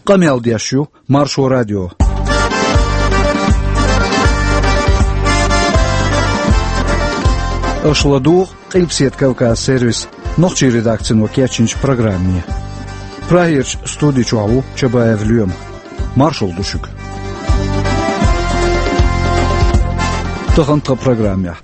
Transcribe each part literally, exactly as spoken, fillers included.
Къамел деш ю Маршо радио. Аша ладугӀу Къилбаседа Кавказ сервисан нохчийн редакцино кечйинчу программе. Прагерчу студи чохь ву Чабаев Лоьма. Маршалла ду шуьга. Тахана тхан программехь.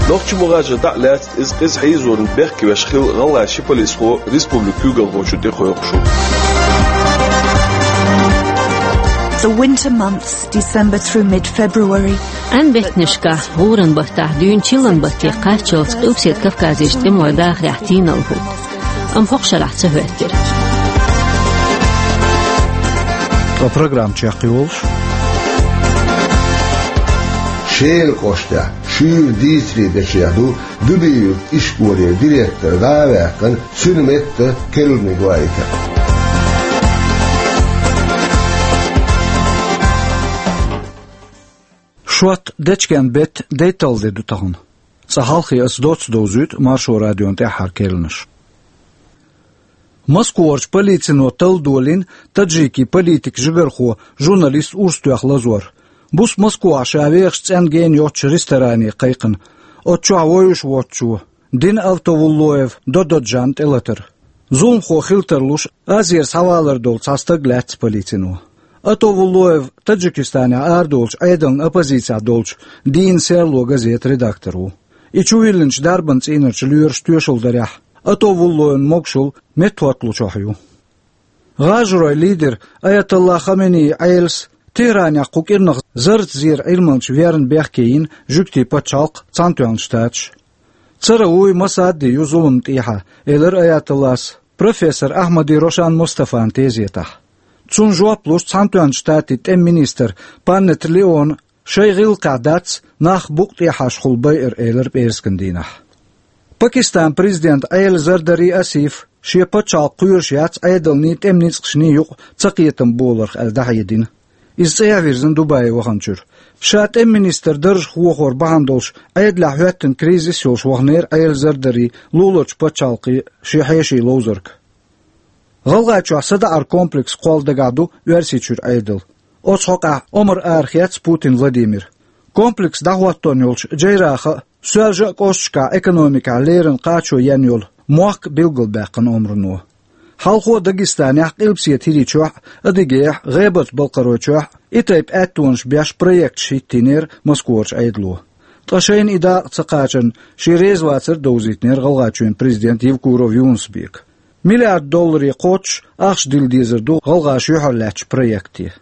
Нохчийн мухӀажар дӀа а лаьцна, иза къиза хьийзорна бехке веш хилла гӀалгӀайн ши полисхо республикан куьйгалхочун тӀе кхойкхуш ву. The winter months, December through mid-February. Ӏаьнан беттанашкахь, гӀуран баттахь, дуьйна чиллан батте кхаччалц Къилбаседа Кавказерчу тӀемалойн дахарехь тийналла хӀутту. Амма хӀокху шарахь ца хӀоьттира. Ткъа программа чекхйолуш. Шелан кӀоштахь шуьйра дийцаре дешехь ду Дуби-Юьртан ишколера директор дӀа а ваьккхина, цуьнан метта керланиг лайта. Шот дечкен беттан дейтталгӀа де ду тахана. Цкъа хьалхе аса доцца довзуьйту Маршо радион тӀаьххьара керланаш. Москварчу полицино талла долийна таджикийн политикан жигархо, журналист Урсатоьхна Лазор. Буса Москвахь ша вехаш цӀенна гена йоцучу ресторане кхайкхина. Оцу чохь вевзаш воцучо, Дин Атовуллоев Дододжан тӀелатар. Зуламхо хила тарлуш, Азера схьавалар долу цхьа стаг лаьцна полицино. Атовуллоев Таджикистанехь арадолучу Ӏедална оппозицехь долчу «Дийнан серло» газетан редактор ву. И чувиллинчу дарбан цӀийнарчу лоьраша тоьшалла дарехь, Атовуллоевн могушалла меттахӀотталучохь ю. ГӀажаройн лидер Аятолла Хаменеин Ӏелас Техранехь кху кӀирнах зарратан зеран Ӏилманча верна бехке йина жуьгтийн пачхьалкх, Цхьаьнатоьхна Штаташ. Цара вуй Масадди ю зуламна тӀехьа, элира Аятоллас профессор Ахьмади Рошан Мустафан тезетахь. Цунна жоп луш Цхьаьнатоьхначу Штатийн тӀеман министр Панетта Леона шайн гӀиллакхехь дац нах букъа тӀехьашхула байар, элира пӀераскан дийнахь. Пакистанан президент Ӏела Зардари Асиф шен пачхьалкх кхоьруш яц Ӏедалний, тӀеман ницкъашний юкъа цакхетам боларх аьлла дӀахьедина. Иза цӀа а вирзина Дубае ваханчуьра. Ша тӀеман министр даржах вохор бахьана долуш Ӏедалехь хӀоьттина кризис йолуш ваханера Ӏела Зардари луларчу пачхьалкхе шен хьеший ловзарга. ГӀалгӀайчохь садаӀаран комплекс кхолла дагахь ду Оьрсийчуьра Ӏедал. Оцу хьокъехь омра арахецна Путин Владимира. Комплекс дӀахӀоттон йолчу Джейрахан а, Соьлжа а кӀошташкахь экономикехь леррина кхачо ен йолу мохк билгалбаьккхина омрано. Хьалхо Дагестанехь, Къилбаседа ХӀирийчохь а, Адыгейхь а, ГӀебарта-Балкхаройчохь а и тайпа аьттонаш беш проекташ хӀиттийнера Москварчу Ӏедало. Ткъа шайна и дакъа ца кхачарна, шен резавацар а довзийтинера ГӀалгӀайчоьнан президента Евкуров Юнус-Бека. Миллиард долларе кхоччуш ахча дилла дезар ду гӀалгӀаша юьхьарлаьцначу проекте.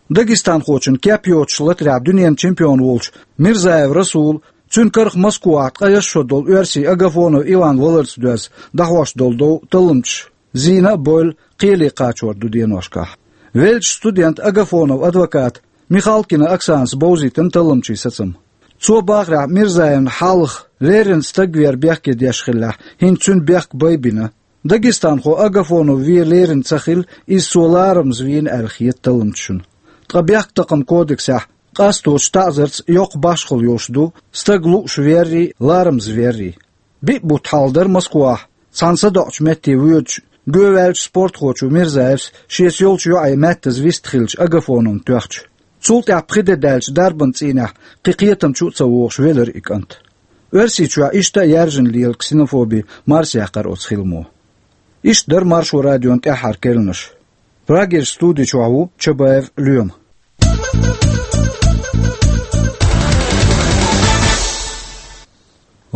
Дагестанхочун кеп йоцуш латарехь дуьненан чемпион волчу Мирзаев Расула, цуьнан карах Москвахь ткъе исс шо долу оьрсийн Агафонов Иван валарца доьзна дӀахьош долу дов талламчаша зийна а бевлла, кхеле кхачор ду деношкахь. Веллачу студента Агафоновн адвоката Михалкина Оксанас бовзийтина талламчийн сацам. Цо бахарехь, Мирзаевна хьалха леррина стаг вер бехке деш хиллехь, хӀинца цуьнан бехк байбина. Дагестанхо Агафонов вен леррина ца хилла, иза цо ларамаза вийна аьлла хета талламчашна. Ткъа бехктакхаман кодексехь къасточу таӀзарца йоккха башхалла йолуш ду стаг лууш веррий, ларамаза веррий. Биъ бутт хьалха дара Москвахь, цхьана садоӀучу метте воьдучу, гӀоваьллачу спортхочо Мирзаевс шеца йолчу йоӀе маьттаза вистхиллачу Агафоновна тоьхча. Цул тӀаьхьа пхи де даьлча дарбан цӀийнехь кхин кхетамчу а ца вогӀуш велира и кӀант. Оьрсийчохь иштта а яьржина лела ксенофоби марсаяьккхира оцу хиламо. Иштта дара Маршо радион тӀаьххьара керланаш. Прагерчу студи чохь ву Чабаев Лоьма.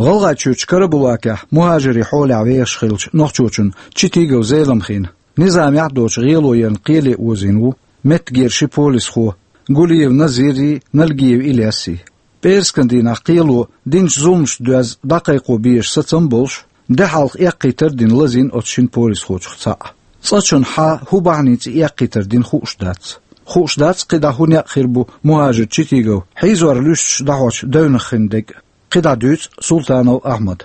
ГӀалгӀайчуьрчу Карабулакехь мухӀажарийн хьолехь вехаш хиллачу нохчочун Читигов Зеламхин низамехь а доцуш гӀело ярна кхеле озийна ву меттигера ши полисхо Гулиев Назиррий, Налгиев Ильясий. ПӀераскан дийнахь кхело динчу зуламашца доьзна дӀакхайкхо безаш сацам а болуш, де хьалха эккхийтар а дина лазийна оцу шина полисхочух цхьаъ. Цкъачунна хьан, хӀун бахьаница и эккхийтар дина хууш дац. Хууш дац, кхидӀа хӀун некъ хир бу мухӀажар Читигов хьийзор луьстуш дӀахьочу девнах хин дег. КхидӀа дуьйцу Султанов Ахьмада.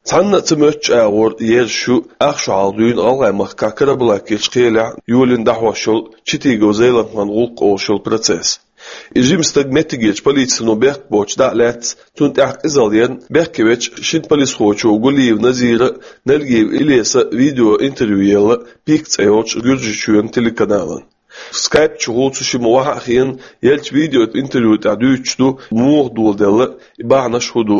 Цхьанна а ца моьттучу агӀор ерзаш ю ах шо хьалха дуьйна ГӀалгӀайн махкахь Карабулакерчу кхелехь йолийна дӀахьош йолу Читигов Зеламхин гӀуллакх олуш йолу процесс. И жима стаг меттигерчу полицино бехк боцуш дӀа а лаьцна, цунна тӀехь къизалла ярна, бехке вечу шина полисхочо Гулиев Назира а, Нальгиев Илеса а видеоинтервью елла «Пик» цӀе йолчу Гуьржийчоьнан телеканалан. Скайп чухула цу шимма охьа а хиъна, еллачу видеоинтервью тӀехь дуьйцуш ду, муха доладелла и бахьанаш, хӀун ду.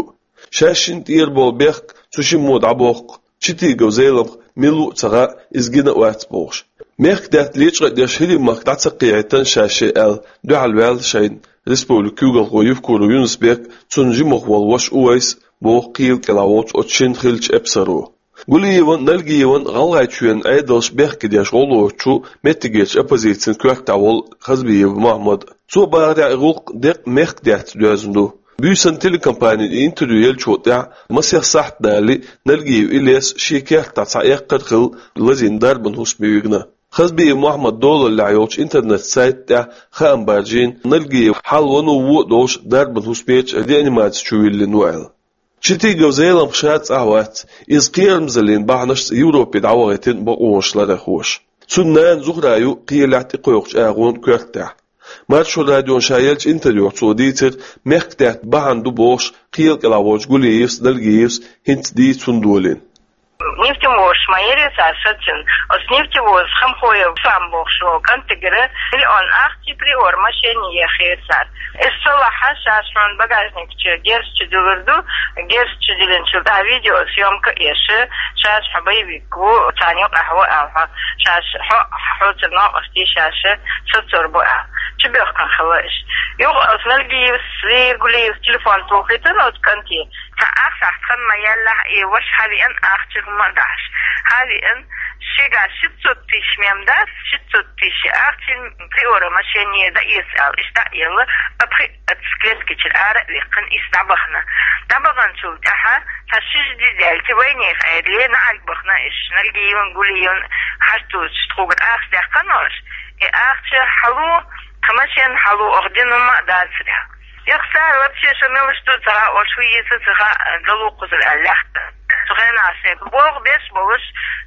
Шаьш шинна тӀера болу бехк цу шиммо дӀабохку, Читигов Зеламха мила ву а ца хаьа, иза гина а вац бохуш. Мехкдаьтта лечкъа а деш, хӀирийн махка дӀа ца кхехьийтина шаьш аьлла, дуьхьал ваьлла шайна республикан куьйгалхо Евкуров Юнус-Бек, цунна жимах волу ваша Увайс а, боху кхелан кӀелахь волчу оцу шинна хиллачу эпсаро. Гулиеван а, Нальгиеван а ГӀалгӀайчоьнан Ӏедалша бехке деш гӀо лоцучу меттигерчу оппозицин коьртехь волу Хазбиев Мохьмад. Цо бахарехь, и гӀуллакх деккъа мехкдаьтта доьзна ду. Буьйсанна телекомпанина интервью еллачул тӀаьхьа масех сахьт далале, Нальгиев Илес шен кертахь цхьа эккхар а хилла лазийна дарбан хӀусаме вигна. Хазбиев Мохьмадан долаллехь йолчу интернет-сайта тӀехь хаам баржийна, Нальгиев хьал ван а, вон а долуш дарбан хӀусамечу реанимаци чу виллина ву аьлла. Читигов Зеламха ша цӀахь вац, иза кхерамзаллин бахьанашца Европе дӀавахийтина бакъонаш ларъярхоша. Цуьнан нана Зухра ю кхелехь тӀекхойкхучу агӀонан коьртехь. Маршо радиона ша еллачу интервьюхь цо дийцира, мехкдаьтта бахьана ду бохуш кхелан кӀелахь волчу Гулиевс а, Нальгиевс а хӀинца дийца хӀунда долийна. Нефтевозаш ма яра цара сацийна. Оцу нефтевозан Хамхоев Сам бохуш волу кӀантигара миллион ахча Приора машене ехира цара. Иза ца лахь, шаьш хьуна багажник чу герз чу диллар ду, герз чу диллинчул тӀаьхьа видеосъёмка а еш, шаьш хьо боевик ву, царна юкъахь ву аьлла хьо, шаьш хьо, хьоцара новкъостий шаьш сацор бу аьлла. Чубоьхкина хилла иштта. Юха оцу Нальгиевс, Гулиевс телефон тухийтина оцу кӀанте, цхьа ахча ахь тхан ма яьллахь, и ваша хьавеана ахча хӀума а дахьаш. Хьавеана, шегахь ши цу тиш мем дац, ши цу тиш ахча Приора машене дан эца аьлла, иштта а елла, а пхи а цу клеткичуьра ара а ваьккхина, иза дӀабахана. ДӀабаханчул тӀаьхьа цхьа ши-ши де даьлча, вайнехан Ӏедале наӀарга бахана иза, Нальгиевн, Гулиевн хьаштучу тхугара ахча даьккхина ош, и ахча хьало, тхан машен хьало, оха дина хӀума а дацара. Юха цара вообще шо мелаш ду ца хаьа, ош хӀун йийца ца хаьа, далу кхузара аьлла лаьхкина. Цу хенахь шайн боху беш болуш,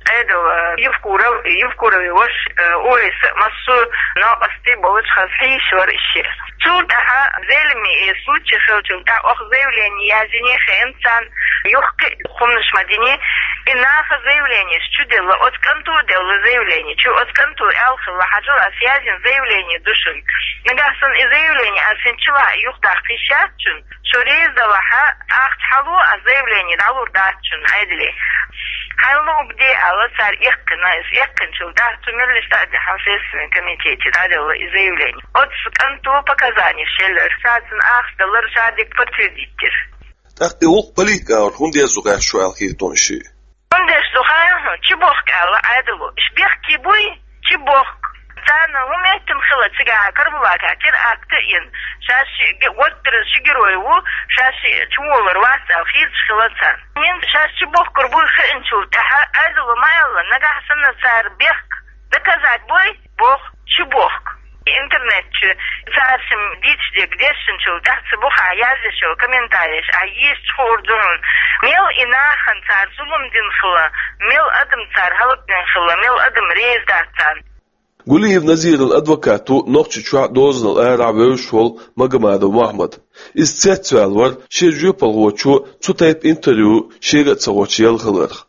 Ӏедал, э, Евкуров, Евкуровн ваша, э, Увайс а, массо а новкъостий болуш, хаза хьийзаш вара иза. Цул тӀаьхьа Зелиман и случай хиллачул тӀаьхьа оха заявление язйина хиъна царна, юха кхин а хӀуманаш ма дина, и наха заявленеш чу делла, оцу кӀанто а делла заявление чу, оцу кӀанто аьлла хилла, хьажал, ас язйина заявление ду шуна. Нагахь санна и заявление ас хӀинцачулахь юхадаккха йиш яц шуна. Шо реза далахь, ахча хьало, ас заявление дӀалур дац шуна Ӏедале. Хьайна луъург де аьлла, цара эккхина иза, эккхинчул тӀаьхьа цу меллаша дӀа а дихьа, Следственный комитете дӀаделла и заявление. Оцу кӀанто показанеш еллера, ша цунна ахча далар ша дика подтвердить дира. ТӀаккха и гӀуллакх политикан агӀор хӀунда еза ду гӀерташ шу аьлла хета хьуна шиъ? ХӀунда еза ду хаьий хьуна, чубохку аьлла Ӏедало. Уьш бехке буй, чубохку. Царна хӀун меттана хилла цигахь Карабулакехь теракт а йина, шаьш ши ге-, гӀоттар ши герой ву, шаьш ши чуволар вац аьлла хеташ хилла царна. ХӀинца шаьш чубохкур буй хиъначул тӀаьхьа Ӏедало ма аьлла, нагахь санна цара бехк доказать бой, боху, чубохку. Интернет чу цара шимма дийцаш дерг дешначул тӀаьхьа цу бухахь язъеш йолу комментареш ахь езча хуур ду хьуна, мел и нахана цара зулам дина хилла, мел адам цара хӀаллакдина хилла, мел адам реза дац царна. Гулиев Назиран адвокат ву Нохчийчохь дозанал арахь вевзаш волу Магомадов Мохьмад. Иза цецваьлла вара шен жоьпалхочо цу тайпа интервью шега а ца гӀоттуш елла хиларх.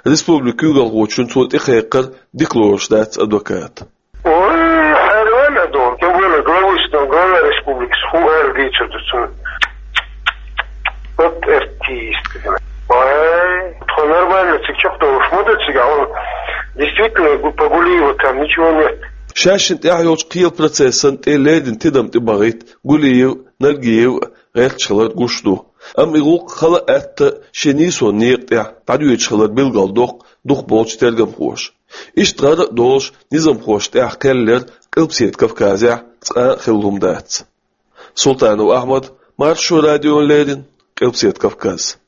Республикан куьйгалхочун цо тӀекхайкхар дика лоруш дац адвоката. Ой, хьайран а ду, тем более главы, что глава республики, сху эр дийцар ду цунна. Вот артист. Ой, тхо нормально цига чекхдолуш ма ду цига, он действительно по Гулиеву там ничего нет. Шаьшшинна тӀехь йолчу кхелан процессан тӀе леррина тидам тӀебахийта Гулиев, Нальгиев гӀерташ хилар гуш ду. Амма и гӀуллакх хала атта шен нийсонан некъа тӀехь дӀадоьдуш хилар билгалдоккху дукхахболчу тергамхоша. Иштта гӀара а долуш, низамхошна тӀехь кхел лер Къилбаседа Кавказехь цкъа а хилла хӀума дац. Султанов Ахьмад, Маршо радиона леррина, Къилбаседа Кавказ.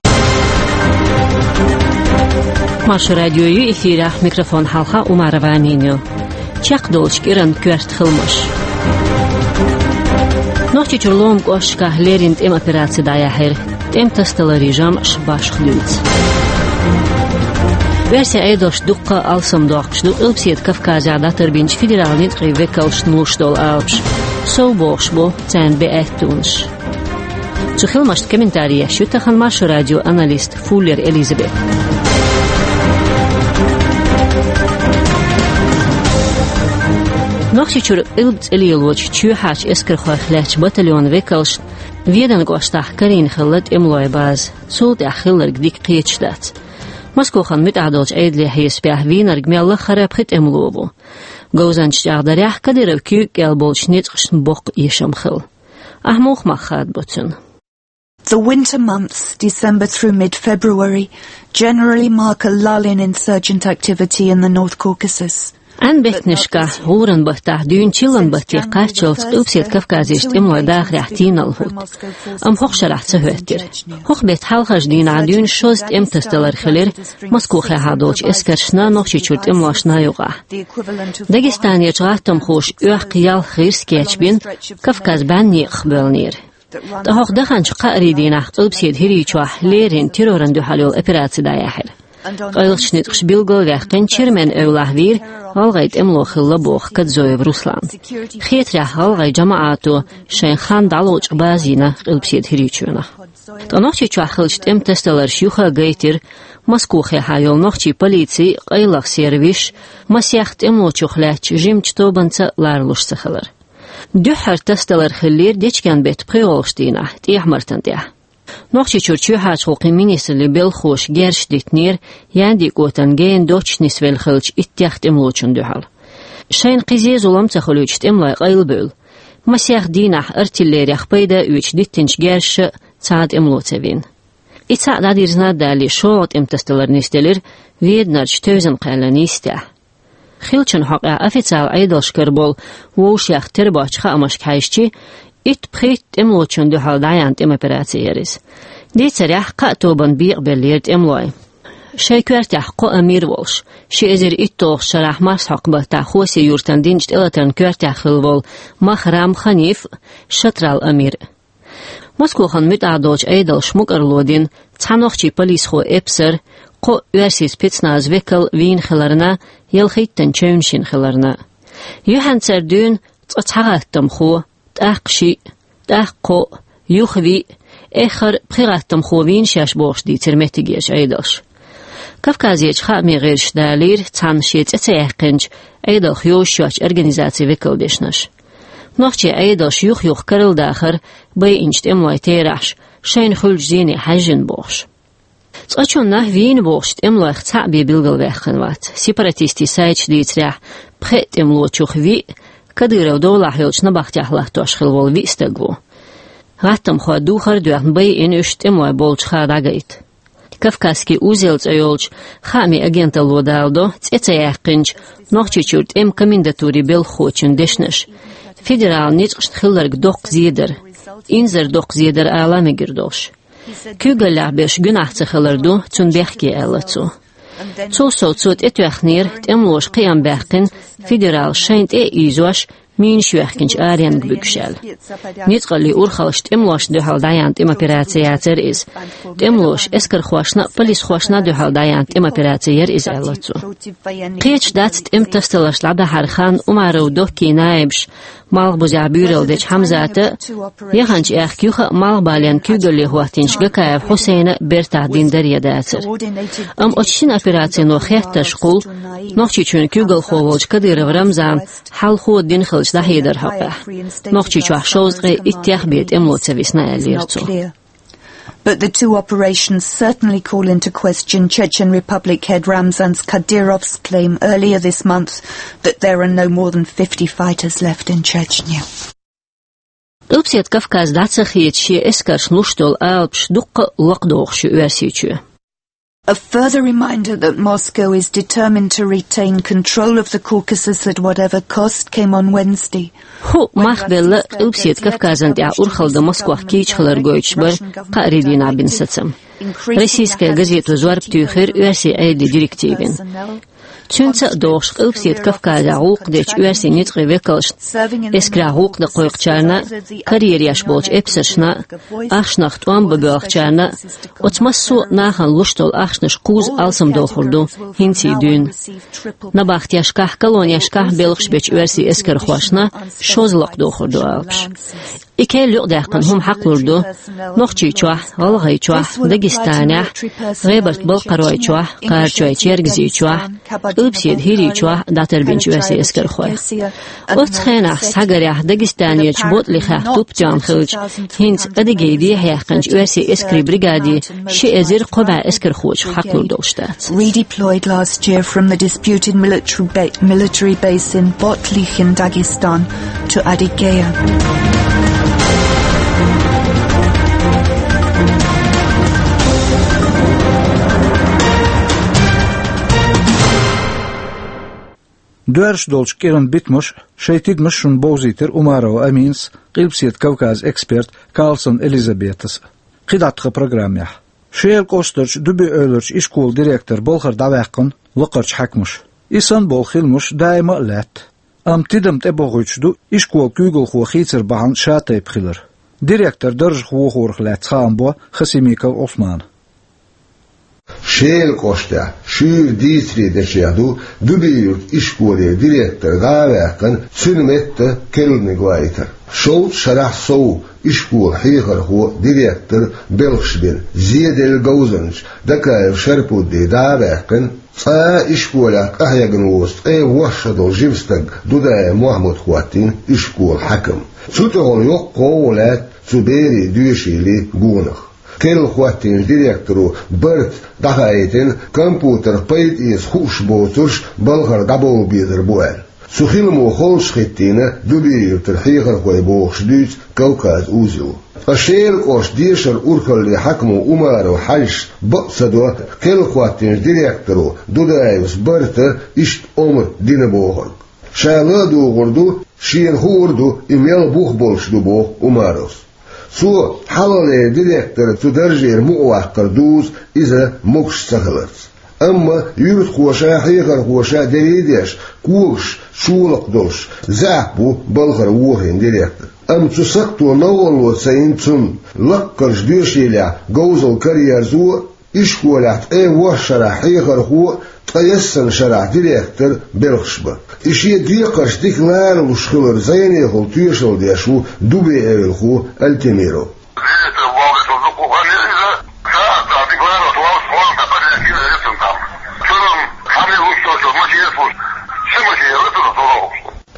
Маршо радио ю эфирехь, микрофон хьалха Умарова Амина ю. Чекхдолчу кӀиранан коьрта хиламаш. Нохчийчуьра ломан кӀошташкахь леррина тӀеман операци дӀаяьхьира. ТӀеман тасадаларан жамӀаш башха дуьйцу. Оьрсийн Ӏедалш дуккха а алсамдоккхуш ду Къилбаседа Кавказехь дӀатарбинчу федералан ницкъийн векалшна луш долу алапаш. Сов бохуш бу царна беа аьттонаш. Цу хиламашта комментарий еш ю тахан Маршо радион аналист Фуллер Элизабет. Нохчийчуьра къилба цӀе лелочу чоьхьарчу эскархойх лаьттачу батальонан векалшна Веданан кӀоштахь карийна хилла тӀемалойн база. Цул тӀаьхьа хилларг дика кхеташ дац. Москохана муьтӀахь долчу Ӏедалан хьесапехь вийнарг мел лаххара пхи тӀемало ву. Говзанчаша чӀагӀдарехь, Кадыровн куьйга кӀел болчу ницкъашна боккха эшам хилла. Ахьа муха мах хадабо цуьнан? The winter months, December through mid-February, generally mark a lull in insurgent activity in the North Caucasus. Ӏан беттанашкахь, гӀуран баттахь, дуьйна чиллан батте кхаччалц Къилбаседа Кавказерчу тӀемалойн дахарехь тийналла хӀутту. Амма хӀокху шарахь ца хӀоьттира. ХӀокху беттан хьалхарчу дийнахь дуьйна шозза тӀеман тасадалар хилира Москохехьа долчу эскаршна, Нохчийчуьра тӀемалошна юкъахь. Дагестанерчу гӀаттамхоша оьхка ялх гӀирс кечбина, Кавказ бӀеннан некъах боьллинера. Ткъа хӀокху даханчу кхаарин дийнахь Къилбаседа ХӀирийчохь леррина террорна дуьхьал йолу операци дӀаяьхьира. Къайлахчу ницкъаша билгал а ваьккхина, Чермен эвлахь вийра гӀалгӀайн тӀемало хилла боху Кадзоев Руслана. Хетарехь, гӀалгӀайн жамаӀато шайн хан дӀалочкъа база йина Къилбаседа ХӀирийчоьнах. Ткъа Нохчийчохь хиллачу тӀеман тасадаларша юха а гайтира Москохехьа йолу нохчийн полицин, къайлахан сервисаш масех тӀемалочух лаьттачу жимачу тобанца ларалуш ца хилар. Дуьххьара тасадалар хиллера дечкен беттан пхоьалгӀачу дийнахь, ТӀехьа-Мартан тӀехь. Нохчийчуьра чоьхьарчу гӀуллакхийн министраллин белхахоша герзаш диттинера Яндин КӀотан гена доццуш нисвелла хиллачу иттех тӀемалочунна дуьхьал. Шайна кхин зен-зулам ца хуьлуьйтуш тӀемалой къайлабевлла, масех дийнахь артиллерех пайда а оьцуш диттинчу герзаша цхьа а тӀемало ца вина. И цхьаъ дӀадирзина а далий, шолгӀа тӀеман тасадалар нисделира Веданарчу Тевзан-Кхаьллан йистехь. Хиллачун хьокъехь официалан Ӏедалшкара болу вовшех тера боцчу хаамашка хьаьжча, итт-пхийтта тӀемалочунна дуьхьал дӀаяьхьна тӀеман операци яра иза. Дийцарехь, кхаа тобанна бекъабеллера тӀемалой. Шайн коьртехь кхо амир а волуш, ши эзар итталгӀачу шарахь марсхьокху баттахь Хоси-Юртана динчу тӀелатарна коьртехь хилла волу Махрам Ханиф а, Шатрал амир а. Москохана муьтӀахь долчу Ӏедалша мукӀарло дина цхьа нохчийн полисхо эпсар, кхо оьрсийн спецназан векал вийна хиларна, ялхиттанна чевнаш йина хиларна. Юьхьанцара дуьйна цкъа цхьа гӀаттамхо, тӀаккха шиъ, тӀаккха кхоъ, юха виъ, эххар пхи гӀаттамхо вийна шаьш бохуш дийцира меттигерчу Ӏедалша. Кавказерчу хаамийн гӀирсаша далийра цхьана шен цӀе ца яьккхинчу, Ӏедалх йозуш йоцчу организацин векалан дешнаш. Нохчийн Ӏедалша юх-юха карладахара байинчу тӀемалойн терахьаш, шайна хуьлучу зене хьаьжжина бохуш. Цкъачунна вийна бохучу тӀемалойх цхьаъ бен билгалваьккхина вац. Сепаратистийн сайташа дийцарехь, пхеа тӀемалочух виъ, Кадыровн долахь йолчу набахтехь латтош хилла волу виъ стаг ву. ГӀаттамхойн духар а доьхна, байина уьш тӀемалой болчуха дӀагайта. «Кавказский узел» цӀе йолчу хаамийн агенталло даладо, цӀе ца яьккхинчу Нохчийчуьра тӀеман комендатурин белхахочун дешнаш, федералан ницкъашна хилларг доккха зен дара, инзар доккха зен дара ала мегар долуш. Куьйгаллехь берш гуьнахь ца хилар ду цунна бехке, аьлла цо. Цул сов цо тӀетоьхнера тӀемалоша кхиам баьккхина федералаша шайна тӀе а ийзош, минаш йоьхкинчу аренга буьгуш аьлла. Ницкъаллин урхаллаша тӀемалошна дуьхьал дӀаяьхьна тӀеман операци яцара иза. ТӀемалоша, эскархошна а, полисхошна а дуьхьал дӀаяьхьна тӀеман операци яра иза, аьлла цо. Кхеташ дац тӀеман тасадаларш дӀадахьаран хан Умаров Доккин наибаш Малхбузехь буьйралла дечу Хьамзата а, яханчу аьхка юха а Малхбален куьйгалле хӀоттийначу Гакаев Хьусайна а бертахь дина дара я дацара. Амма оцу шина операцино хеттарш кхуллу Нохчийчоьнан куьйгалхо волчу Кадыров Рамзана хьалхо дина хиллачу дӀахьедар хьокъехь. Нохчийчохь шовзткъе иттех бен тӀемало ца висна, аьллера цо. But the two operations certainly call into question Chechen Republic head Ramzan Kadyrov's claim earlier this month that there are no more than fifty fighters left in Chechnya. Къилбаседа Кавказ дӀа ца хеташ, шен эскаршна луш долу алапаш дуккха а лакхадохуш ю Оьрсийчоь. A further reminder that Moscow is determined to retain control of the Caucasus at whatever cost came on Wednesday. ХӀуъ мах белла Къилбаседа Кавказан тӀехь урхалла дан Москох кийча хилар гойтуш бара кхаарин дийнахь бина сацам. «Российская газето» зорба туьйхира оьрсийн Ӏедалан директивина. Цуьнца а догӀуш, Къилбаседа Кавказехь гӀуллакх дечу оьрсийн ницкъийн векалшна, эскарехь гӀуллакх дан кхойкхучарна, карьера еш болчу эпсаршна, ахчанах тӀом бан боьлхучарна, оцу массо а нахана луш долу ахчанаш кхузза алсамдохур ду хӀинций дуьйна. Набахтешкахь, колонешкахь белхаш бечу оьрсийн эскархошна шозза лакхадохур ду алапаш. И керла юкъадаьккхина хӀума хьакхалур ду Нохчийчохь, ГӀалгӀайчохь, Дагестанехь, ГӀебарта-Балкхаройчохь, Кхарачой-Чергазийчохь, Къилбаседа ХӀирийчохь дӀатарбинчу оьрсийн эскархойх. Оццу хенахь, схьагарехь, Дагестанерчу БутӀлихехь туп тоьхна хиллачу, хӀинца Адыгейн дехьаяьккхинчу оьрсийн эскарийн бригаде ши эзар кхо бӀе эскархочух хьакхалур долуш дац. Redeployed last year from the disputed military, ba- military base in Botlikh in Dagestan to Adygea. Доьрзуш долчу кӀиран битамаш, шайн тидамаш шуна бовзийтира Умарова Аминас, Къилбаседа Кавказан эксперт Карлсон Элизабетас. КхидӀа тхан программехь. Шелан кӀоштарчу Дуби-Эвларчу ишколан директор балхара дӀаваьккхина лакхарчу хьаькамаша. И санна болу хиламаш даима а лаьтта. Амма тидам тӀебохуьйтуш ду ишколан куьйгалхо хийцар бахьана шатайпа хилар. Директор даржах вохорах лаьцна хаам бо Хасимиков Ӏусмана. Шелан кӀоштахь шуьйра дийцаре дечех ду Дуби-Юьртан ишколе директор дӀа а ваьккхина, цуьнан метта керланиг ваийтар. Шовзткъа шарахь сов ишколан хьехархо, директор белхаш бина зеделла говзанча Дакаев Шарпудди дӀа а ваьккхина, цкъа а ишколехь къахьегна воцу ткъе ворхӀ шо долу жима стаг Дудаев Мохьмад хӀоттийна ишколан хьаькам. Цу тӀехула йоккха гӀовгӀа лаьтта цу берийн доьшийлийн гонах. Керла хӀоттийначу директоро барта дӀахаийтина компьютерах пайда эца хууш боцурш балхара дӀабовла безар бу аьлла. Цу хиламо холчухӀиттийна Дуби-Юьртара хьехархой, бохуш дуьйцу Кавказ узело. Ткъа Шелан кӀоштан дешаран урхаллин хьаькамо Умаров Хьаьжас бакъ ца до керла хӀоттийначу директоро Дудаевс барта иштта омра дина бохург. Ша ла а дугӀур ду, шена хуур ду и мел бух болуш ду, боху Умаровс. Цо хьалхалера директор цу даржера мукъаваккхар дузу иза могуш ца хиларца. Амма юьртахоша, хьехархоша дерриг а деш, когаш чолакх долуш, заьӀап бу балхара вохийна директор. Амма цу сакхто новкъарло ца йина цунна, лаккхарчу доьшийлехь говзалла караерзо, ишколехь ткъе ворхӀ шарахь хьехархо, ткъе ялх шарахь директор белхаш бан. И шен декхарш дика ларалуш хилар зӀенехула тоьшалла деш ву Дуби-Эвлархо Альтемиров.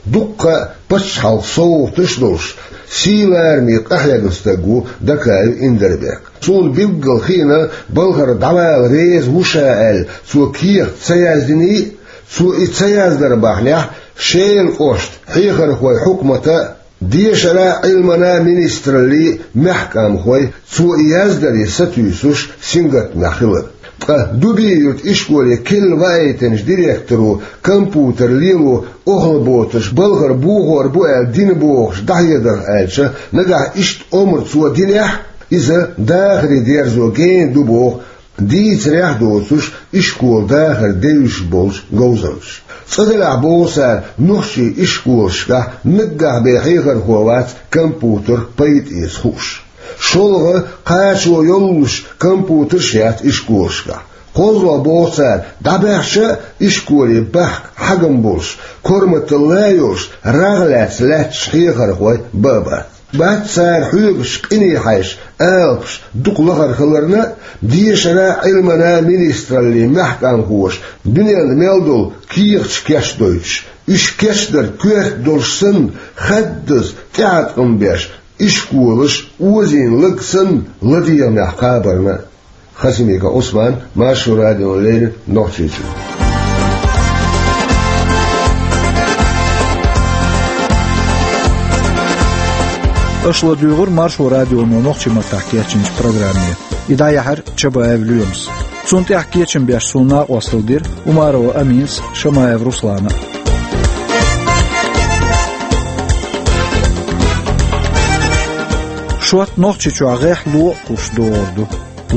Дуккха пачхьалкхан совгӀаташ а долуш, сий-лараме къахьегна стаг ву Дакаев Индарбек. Суна билггал хиъна, балхара дӀавала реза ву ша аьлла, цо кехат ца яздиний а, цо и ца яздар бахьанехь, Шелан кӀоштан хьехархойн хьукматан а, дешаран а, Ӏилманан а министраллин мехкамхой цо и яздаре сатуьйсуш сингаттамехь хилар. Ткъа Дуби-Юьртан ишколе керла ваийтинчу директоро компьютер лело охьалабоцурш балхара бохор бу аьлла дина бохуш дӀахьедарх аьлча, нагахь иштта омра цо динехь, иза дахаре дерзо гена ду боху дийцарехь а доцуш ишколан дахар девзаш болчу говзанчаша. Цкъа делахь, боху цара, нохчийн ишколашкахь наггахь бен хьехархо вац компьютерах пайда эца хууш. ШолгӀа, кхачо йоллуш компьютерш яц ишколашкахь. КхозлагӀа, боху цара, дӀабаьхча а ишколе бахка хьагам болуш, корматалла а йолуш, рагӀ лаьцна лаьтташ хьехархой бан а бац. Бац цара хьоьгуш къине хьаьжча алапаш дукха лахара хиларна а, дешаран а, Ӏилманан а министраллин мехкамхоша дуьненна мел долу кехаташ кечдойтуш, уьш кечдар коьрта долуш санна, хаддаза тӀеӀаткъам беш, ишколаш озийна лаг санна ладегӀамехь кхабарна а. Хасимиков Ӏусман, Маршо радиона леррина, Нохчийчуьра. Аша ладуьйгӀура Маршо радионо нохчийн маттахь кечйинчу программе. И дӀаяьхьира Чабаев Лоьмас. Цунна тӀехь кечам беш суна накъосталла дира Умарова Аминас, Шамаев Руслана. Шот Нохчийчохь гӀехь ло а кхуьссуш догӀур ду.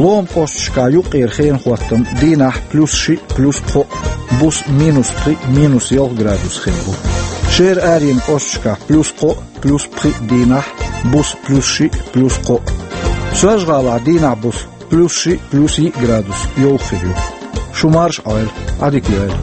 Лома кӀошташкахь юккъера хенахӀоттам дийнахь плюс шиъ, плюс пхоъ, буса минус пхиъ, минус ялх градус хир бу. Шера аренан кӀошташкахь плюс кхоъ, плюс пхиъ дийнахь, буса плюс шиъ, плюс кхоъ. Соьлжа-ГӀалахь дийнахь, буса плюс шиъ, плюс йиъ градус йовха хир ю. Шу марша Ӏойла, Ӏадика йойла.